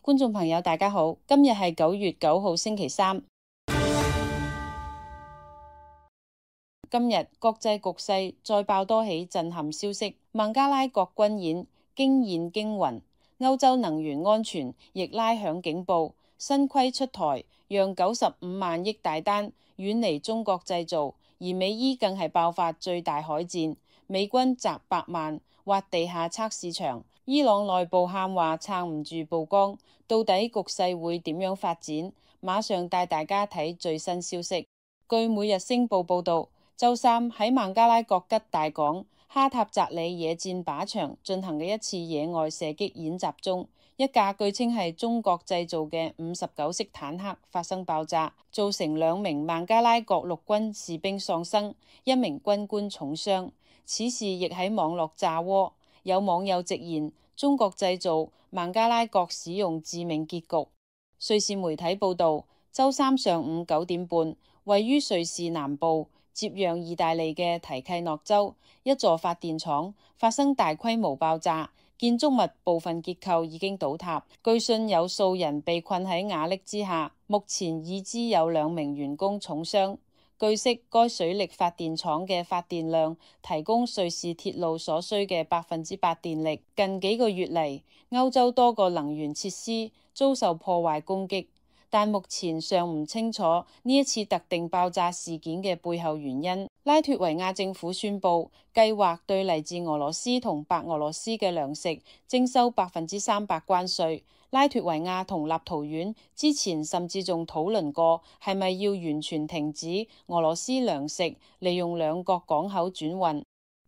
觀眾朋友大家好，今日係9月9號星期三。今日國際局勢再爆多起震撼消息，孟加拉國軍演驚現驚魂，歐洲能源安全亦拉響警報，新規出台，讓95萬億大單遠離中國製造，而美伊更係爆發最大海戰，美軍集百萬挖地下測試場，伊朗內部喊話撐唔住曝光，到底局勢會點樣發展？馬上帶大家睇最新消息。據每日星報報道，周三喺孟加拉國吉大港哈塔扎里野戰靶場進行嘅一次野外射擊演習中，一架據稱係中國製造嘅59式坦克發生爆炸，造成2名孟加拉國陸軍士兵喪生，1名軍官重傷。此事亦喺網絡炸鍋，有網友直言中國製造，孟加拉國使用致命結局。瑞士媒體報道，周三上午9點半，位於瑞士南部接壤意大利嘅提契諾州一座發電廠發生大規模爆炸，建築物部分結構已經倒塌，據信有數人被困喺瓦礫之下，目前已知有2名員工重傷。據悉，該水力發電廠嘅發電量提供瑞士鐵路所需嘅8%電力。近幾個月嚟，歐洲多個能源設施遭受破壞攻擊，但目前尚唔清楚呢一次特定爆炸事件嘅背後原因。拉脫維亞政府宣布，計劃對嚟自俄羅斯同白俄羅斯嘅糧食徵收300%關稅。拉脫維亞同立陶宛之前甚至仲討論過係咪要完全停止俄羅斯糧食利用兩國港口轉運。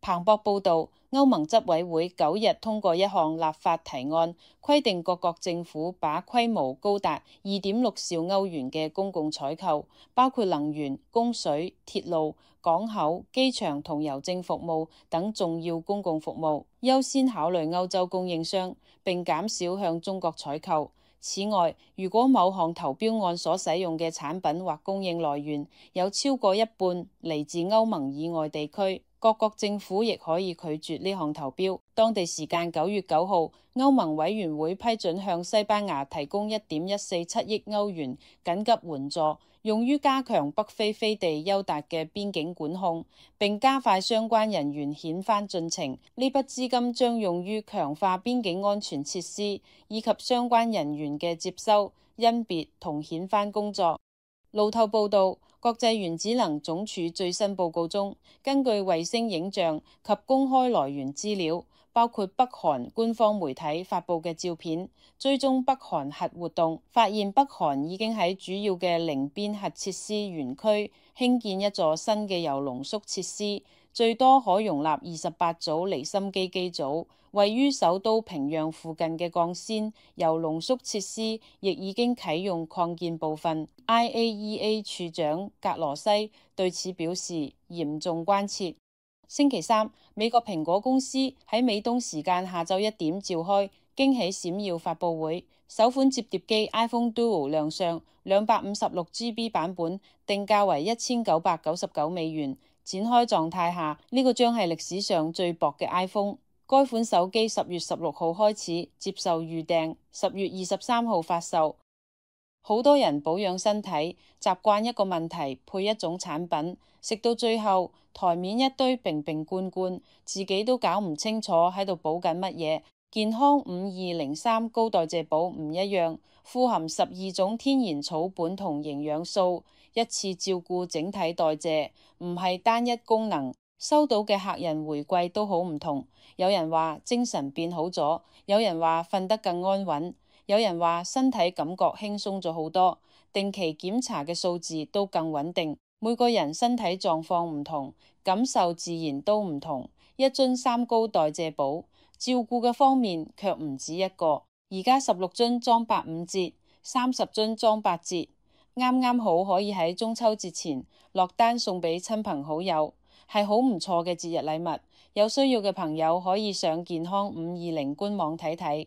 彭博報導，歐盟執委會9日通過一項立法提案，規定各國政府把規模高達2.6兆歐元嘅公共採購，包括能源、供水、鐵路、港口、機場同郵政服務等重要公共服務，優先考慮歐洲供應商，並減少向中國採購。此外，如果某項投標案所使用嘅產品或供應來源有超過一半嚟自歐盟以外地區，各國政府亦可以拒絕呢項投標。當地時間9月9號，歐盟委員會批准向西班牙提供1.147億歐元緊急援助，用於加強北非飛地優達嘅邊境管控，並加快相關人員遣返進程。呢筆資金將用於強化邊境安全設施以及相關人員嘅接收、甄別同遣返工作。路透報道，國際原子能總署最新報告中，根據衛星影像及公開來源資料，包括北韓官方媒體發布嘅照片，追蹤北韓核活動，發現北韓已經喺主要嘅寧邊核設施園區興建一座新嘅鈾濃縮設施，最多可容納28組離心機機組。位於首都平壤附近嘅鋼線鈾濃縮設施亦已經啟用擴建部分。IAEA 處長格羅西對此表示嚴重關切。星期三，美國蘋果公司喺美東時間下晝1點召開驚喜閃耀發佈會，首款摺疊機 iPhone Duo 亮相，256GB 版本定價為1999美元。展開狀態下，呢個將係歷史上最薄嘅 iPhone。該款手機10月16號開始接受預訂，10月23號發售。好多人保養身體，習慣一個問題配一種產品，食到最後台面一堆瓶瓶罐罐，自己都搞唔清楚喺度補緊乜嘢。健康5203高代謝寶唔一樣，富含12種天然草本同營養素，一次照顧整體代謝，唔係單一功能。收到嘅客人回饋都好唔同，有人話精神變好咗，有人話瞓得更安穩，有人話身體感覺輕鬆咗好多，定期檢查嘅數字都更穩定。每個人身體狀況唔同，感受自然都唔同。一樽3高代謝寶，照顧嘅方面卻唔止一個。而家16樽裝85折，30樽裝8折，啱啱好可以喺中秋節前落單送俾親朋好友。係好唔錯嘅節日禮物，有需要嘅朋友可以上健康520官網睇睇。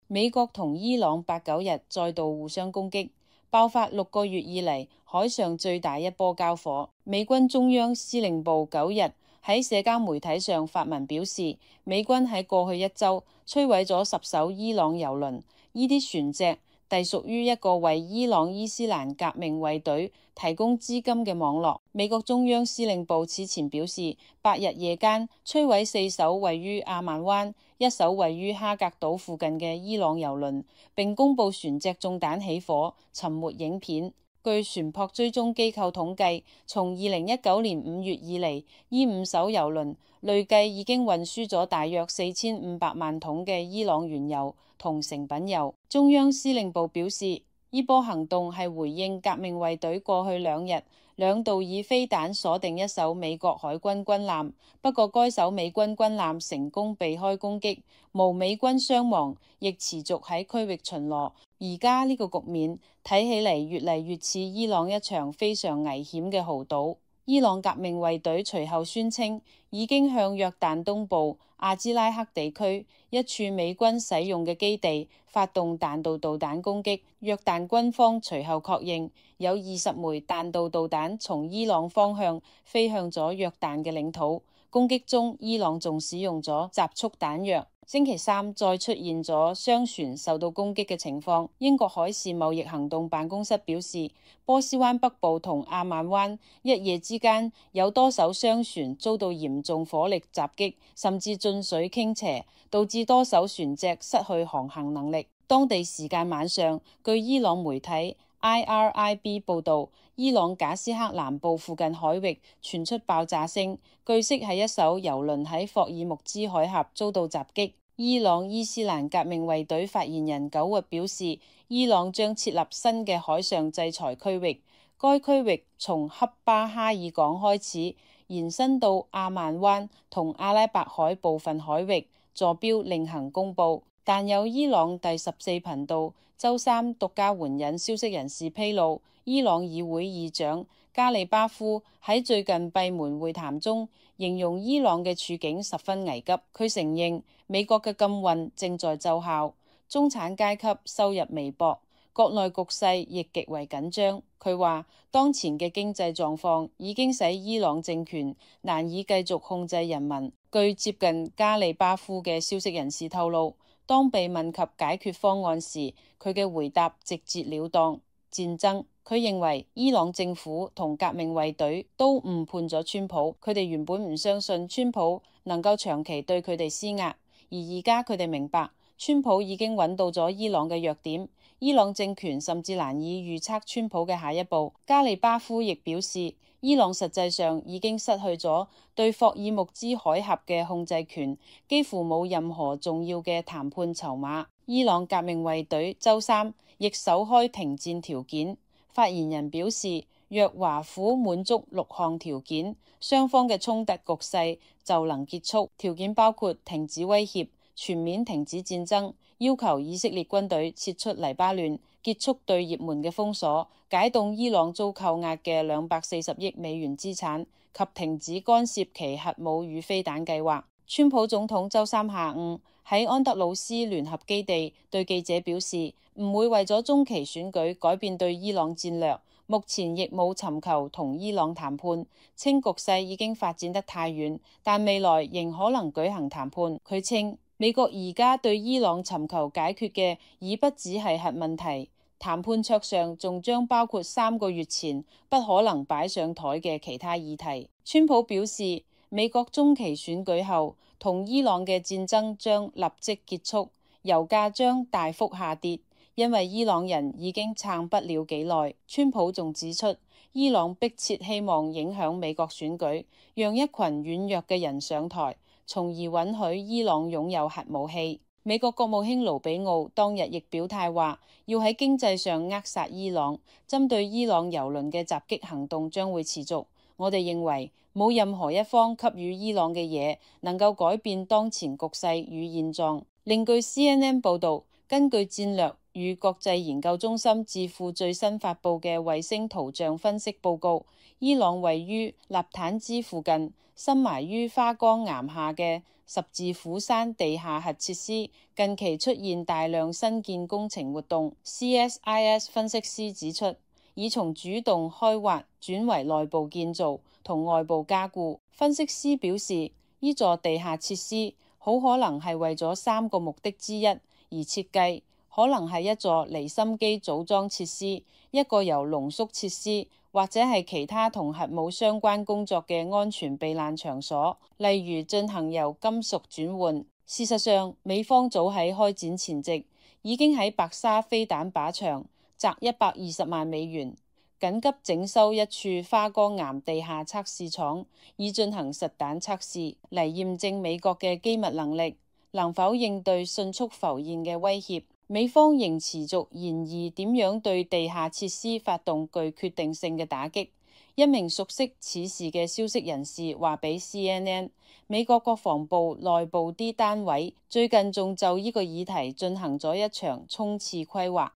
美國同伊朗8、9日再度互相攻擊，爆發6個月以嚟海上最大一波交火。美軍中央司令部9日喺社交媒體上發文表示，美軍喺過去1週摧毀咗10艘伊朗油輪，呢啲船隻隸屬於一個為伊朗伊斯蘭革命衛隊提供資金嘅網絡。美國中央司令部此前表示，8日夜間摧毀4艘位於阿曼灣、1艘位於哈格島附近嘅伊朗油輪，並公布船隻中彈起火、沉沒影片。據船舶追蹤機構統計，從2019年5月以嚟，呢5艘油輪累計已經運輸咗大約4500萬桶嘅伊朗原油同成品油。中央司令部表示，呢波行動係回應革命衛隊過去2日2度以飛彈鎖定一艘美國海軍軍艦，不過該艘美軍軍艦成功避開攻擊，無美軍傷亡，亦持續喺區域巡邏。而家呢個局面睇起嚟越嚟越似伊朗一場非常危險嘅豪賭。伊朗革命衛隊隨後宣稱，已經向約旦東部阿茲拉克地區一處美軍使用嘅基地發動彈道導彈攻擊。約旦軍方隨後確認，有20枚彈道導彈從伊朗方向飛向咗約旦嘅領土。攻擊中，伊朗仲使用咗集束彈藥。星期三再出現咗商船受到攻擊嘅情況。英國海事貿易行動辦公室表示，波斯灣北部同阿曼灣一夜之間有多艘商船遭到嚴重火力襲擊，甚至進水傾斜，導致多艘船隻失去航行能力。當地時間晚上，據伊朗媒體 IRIB 報導，伊朗賈斯克南部附近海域傳出爆炸聲，據悉係一艘油輪喺霍爾木茲海峽遭到襲擊。伊朗伊斯蘭革命衛隊發言人9日表示，伊朗將設立新嘅海上制裁區域，該區域從恰巴哈爾港開始，延伸到阿曼灣同阿拉伯海部分海域，坐標另行公佈。但有伊朗第14頻道週三獨家援引消息人士披露，伊朗議會議長加里巴夫喺最近閉門會談中形容伊朗嘅處境十分危急。佢承認美國嘅禁運正在奏效，中產階級收入微薄，國內局勢亦極為緊張。佢話當前嘅經濟狀況已經使伊朗政權難以繼續控制人民。據接近加里巴夫嘅消息人士透露，當被問及解決方案時，佢嘅回答直截了當：戰爭。佢認為伊朗政府同革命衛隊都誤判咗川普，佢哋原本唔相信川普能夠長期對佢哋施壓，而而家佢哋明白川普已經揾到咗伊朗嘅弱點，伊朗政權甚至難以預測川普嘅下一步。加里巴夫亦表示，伊朗實際上已經失去咗對霍爾木茲海峽嘅控制權，幾乎冇任何重要嘅談判籌碼。伊朗革命衛隊週三亦首開停戰條件。發言人表示，若華府滿足6項條件，雙方嘅衝突局勢就能結束。條件包括停止威脅、全面停止戰爭、要求以色列軍隊撤出黎巴嫩、結束對也門嘅封鎖、解凍伊朗遭扣押嘅240億美元資產及停止干涉其核武與飛彈計劃。川普總統週三下午喺安德魯斯聯合基地對記者表示，唔會為咗中期選舉改變對伊朗戰略，目前亦冇尋求同伊朗談判，稱局勢已經發展得太遠，但未來仍可能舉行談判。佢稱美國而家對伊朗尋求解決嘅已不只係核問題，談判桌上仲將包括3個月前不可能擺上台嘅其他議題。川普表示，美國中期選舉後同伊朗嘅戰爭將立即結束，油價將大幅下跌，因為伊朗人已經撐不了幾耐。川普仲指出，伊朗迫切希望影響美國選舉，讓一群軟弱嘅人上台，從而允許伊朗擁有核武器。美國國務卿盧比奧當日亦表態話，要喺經濟上扼殺伊朗，針對伊朗油輪嘅襲擊行動將會持續。我哋認為冇任何一方給予伊朗嘅嘢能夠改變當前局勢與現狀。另據 CNN 報導，根據戰略與國際研究中心智庫最新發布嘅衛星圖像分析報告，伊朗位於納坦茲附近，深埋於花崗岩下嘅十字虎山地下核設施近期出現大量新建工程活動。CSIS 分析師指出，已從主動開挖轉為內部建造同外部加固。分析師表示，呢座地下設施好可能係為咗3個目的之一而設計，可能係一座離心機組裝設施，一個由濃縮設施，或者係其他同核武相關工作嘅安全避難場所，例如進行由金屬轉換。事實上，美方早喺開展前夕已經喺白沙飛彈靶場砸120萬美元，緊急整修一處花崗岩地下測試廠，以進行實彈測試，嚟驗證美國嘅機密能力能否應對迅速浮現嘅威脅。美方仍持續研議點樣對地下設施發動具決定性嘅打擊。一名熟悉此事嘅消息人士話俾 CNN， 美國國防部內部啲單位最近仲就呢個議題進行咗一場衝刺規劃。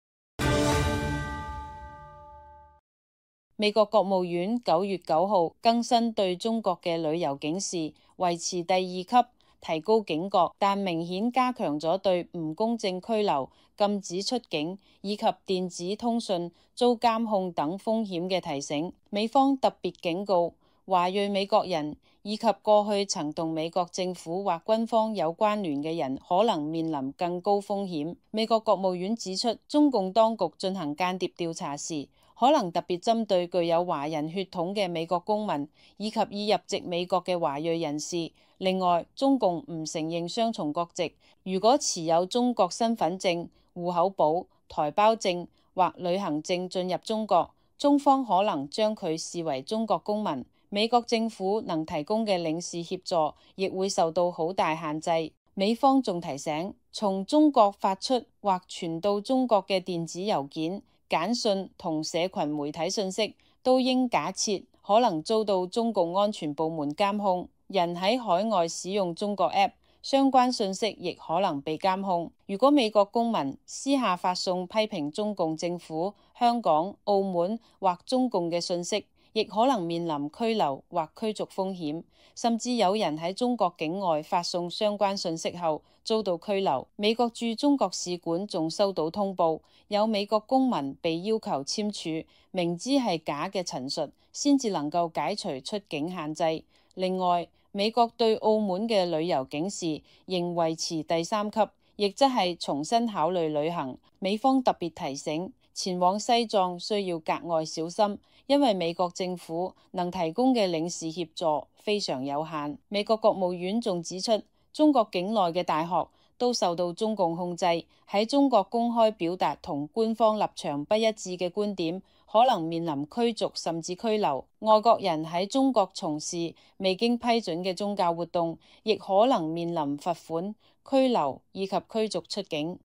美國國務院9月9號更新對中國嘅旅遊警示，維持第2級，提高警覺，但明顯加強咗對唔公正拘留、禁止出境以及電子通訊遭監控等風險嘅提醒。美方特別警告華裔美國人以及過去曾同美國政府或軍方有關聯嘅人可能面臨更高風險。美國國務院指出，中共當局進行間諜調查時，可能特別針對具有華人血統嘅美國公民以及已入籍美國嘅華裔人士。另外，中共唔承認雙重國籍，如果持有中國身份證、戶口簿、台胞證或旅行證進入中國，中方可能將佢視為中國公民。美國政府能提供嘅領事協助亦會受到好大限制。美方仲提醒，從中國發出或傳到中國嘅電子郵件、簡訊同社群媒體信息，都應假設可能遭到中共安全部門監控。人喺海外使用中國 App， 相關信息亦可能被監控。如果美國公民私下發送批評中共政府、香港、澳門或中共嘅信息，亦可能面臨拘留或驅逐風險，甚至有人喺中國境外發送相關信息後遭到拘留。美國駐中國使館仲收到通報，有美國公民被要求簽署明知係假嘅陳述，先至能夠解除出境限制。另外，美國對澳門嘅旅遊警示仍維持第3級，亦即係重新考慮旅行。美方特別提醒，前往西藏需要格外小心，因為美國政府能提供嘅領事協助非常有限。美國國務院仲指出，中國境內嘅大學都受到中共控制，喺中國公開表達同官方立場不一致嘅觀點，可能面臨驅逐甚至拘留。外國人喺中國從事未經批准嘅宗教活動，亦可能面臨罰款、拘留以及驅逐出境。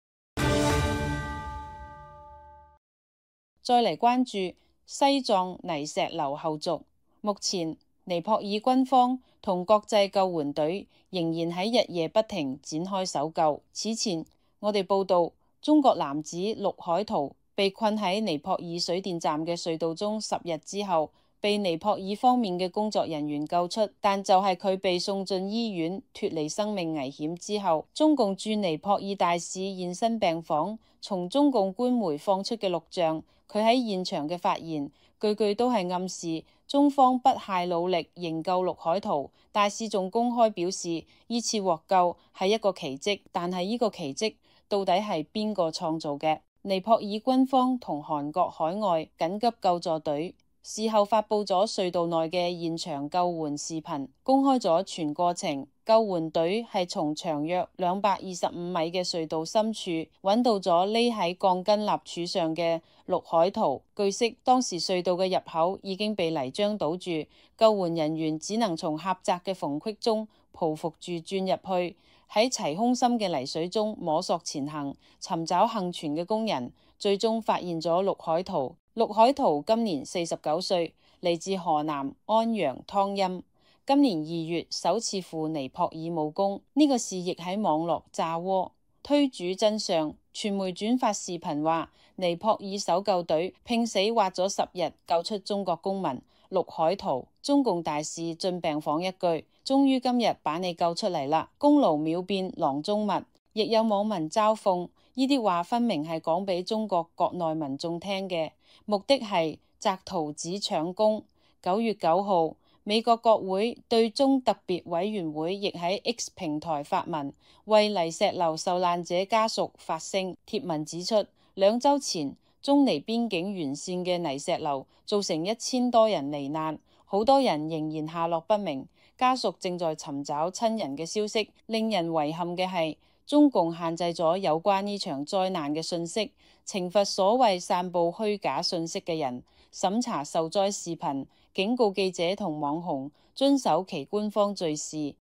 再嚟關注西藏泥石流後續。目前尼泊爾軍方同國際救援隊仍然喺日夜不停展開搜救。此前我哋報道，中國男子陸海圖被困喺尼泊爾水電站嘅隧道中10日之後，被尼泊爾方面嘅工作人員救出，但就係佢被送進醫院脫離生命危險之後，中共駐尼泊爾大使現身病房。從中共官媒放出嘅錄像，佢喺現場嘅發言句句都係暗示中方不懈努力營救陸海圖。大使仲公開表示，呢次獲救係一個奇蹟，但係呢個奇蹟到底係邊個創造嘅？尼泊爾軍方同韓國海外緊急救助隊事後發佈咗隧道內嘅現場救援視頻，公開咗全過程。救援隊係從長約225米嘅隧道深處揾到咗匿喺鋼筋立柱上嘅陸海圖。據悉，當時隧道嘅入口已經被泥漿堵住，救援人員只能從狹窄嘅縫隙中匍匐住鑽入去，喺齊胸深嘅泥水中摸索前行，尋找幸存嘅工人，最終發現咗陸海圖。陸海圖今年49歲，嚟自河南安陽湯陰。今年2月首次赴尼泊爾務工，呢個事亦喺網絡炸鍋。推主真相，傳媒轉發視頻話，尼泊爾搜救隊拼死挖咗10日救出中國公民陸海圖。中共大使進病房一句，終於今日把你救出嚟啦，功勞秒變囊中物。亦有網民嘲諷，呢啲話分明係講俾中國國內民眾聽嘅，目的係摘圖子搶功。9月9號，美國國會對中特別委員會亦喺 X 平台發文，為泥石流受難者家屬發聲。貼文指出，2週前中尼邊境沿線嘅泥石流造成1000多人罹難，好多人仍然下落不明，家屬正在尋找親人嘅消息。令人遺憾嘅係，中共限制咗有關呢場災難嘅訊息，懲罰所謂散佈虛假訊息嘅人，審查受災視頻，警告記者同網紅遵守其官方敘事。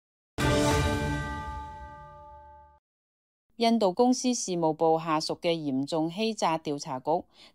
印度公司事務部下屬嘅嚴重欺詐調查局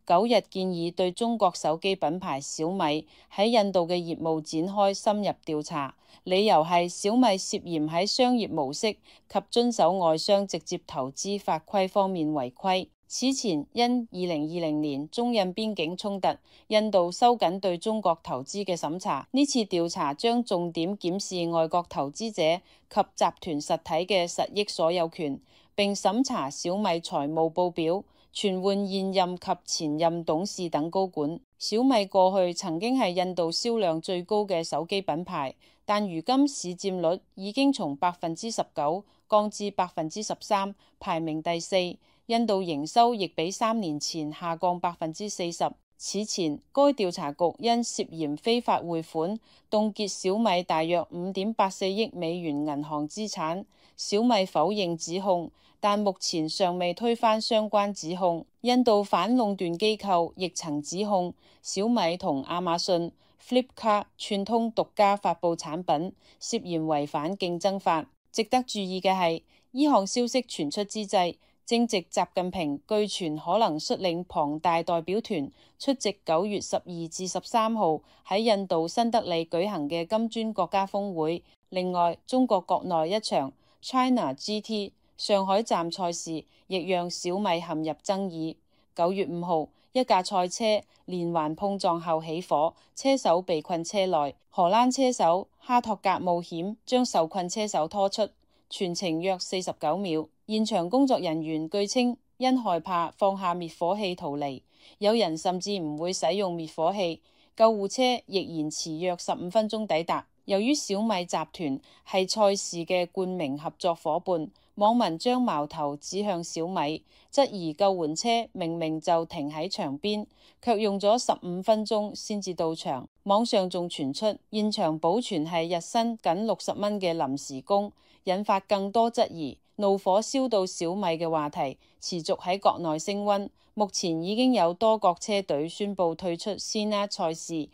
9日建議對中國手機品牌小米喺印度嘅業務展開深入調查，理由係小米涉嫌喺商業模式及遵守外商直接投資法規方面違規。此前因2020年中印邊境衝突，印度收緊對中國投資嘅審查。呢次調查將重點檢視外國投資者及集團實體嘅實益所有權，並審查小米財務報表，傳喚現任及前任董事等高管。小米過去曾經係印度銷量最高嘅手機品牌，但如今市佔率已經從19%降至13%，排名第4。印度營收亦比3年前下降40%。此前，該調查局因涉嫌非法匯款，凍結小米大約5.84億美元銀行資產。小米否認指控，但目前尚未推翻相關指控。印度反壟斷機構亦曾指控小米同亞馬遜、Flipkart 串通獨家發布產品，涉嫌違反競爭法。值得注意嘅係，呢項消息傳出之際，正值習近平據傳可能率領龐大代表團出席9月12至13號喺印度新德里舉行嘅金磚國家峰會。另外，中國國內一場 China GT 上海站賽事亦讓小米陷入爭議。9月5號，一架賽車連環碰撞後起火，車手被困車內。荷蘭車手哈托格冒險將受困車手拖出，全程約49秒。現場工作人員據稱因害怕放下滅火器逃離，有人甚至唔會使用滅火器。救護車亦延遲約15分鐘抵達。由於小米集團係賽事嘅冠名合作夥伴，網民將矛頭指向小米，質疑救援車明明就停喺場邊，卻用咗15分鐘先至到場。網上仲傳出現場保全係日薪僅60蚊嘅臨時工，引發更多質疑。怒火燒到小米嘅話題持續喺國內升溫，目前已經有多國車隊宣布退出 Senna 賽事。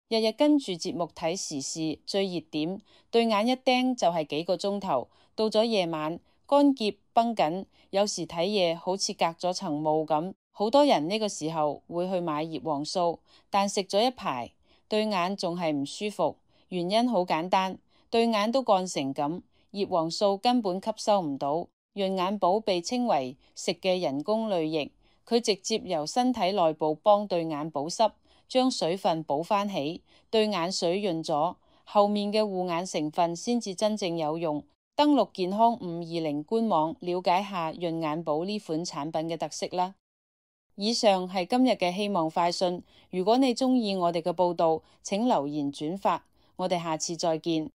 日日跟住節目睇時事最熱點，對眼一盯就係幾個鐘頭。到咗夜晚，乾澀繃緊，有時睇嘢好似隔咗層霧咁。好多人呢個時候會去買葉黃素，但食咗一排，對眼仲係唔舒服。原因好簡單，對眼都乾成咁。葉黃素根本吸收唔到，潤眼寶被稱為食嘅人工淚液，佢直接由身體內部幫對眼保濕，將水分補返起，對眼水潤咗，後面嘅護眼成分先至真正有用。登錄健康520官網了解下潤眼寶呢款產品嘅特色啦。以上係今日嘅希望快訊，如果你鍾意我哋嘅報道，請留言轉發，我哋下次再見。